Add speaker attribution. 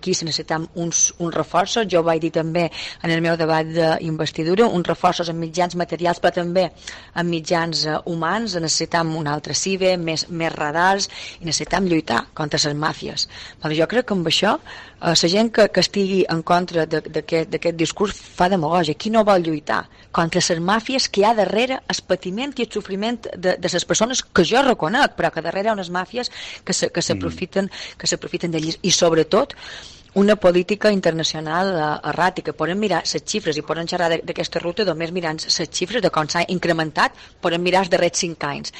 Speaker 1: Aquí se necessitem uns reforços, jo ho vaig dir també en el meu debat d'investidura, uns reforços en mitjans materials però també en mitjans humans, necessitem un altre CIBE, més radars i necessitem lluitar contra les màfies. Però jo crec que amb això la gent que estigui en contra d'aquest discurs fa demagògia. Qui no vol lluitar contra les màfies que hi ha darrere el patiment i el sofriment de les persones que jo reconec, però que darrere hi ha unes màfies que s'aprofiten d'ells i sobretot una política internacional erràtica. Podem mirar les xifres i podem xerrar d'aquesta ruta només mirant les xifres de com s'ha incrementat, podem mirar els darrers 5 anys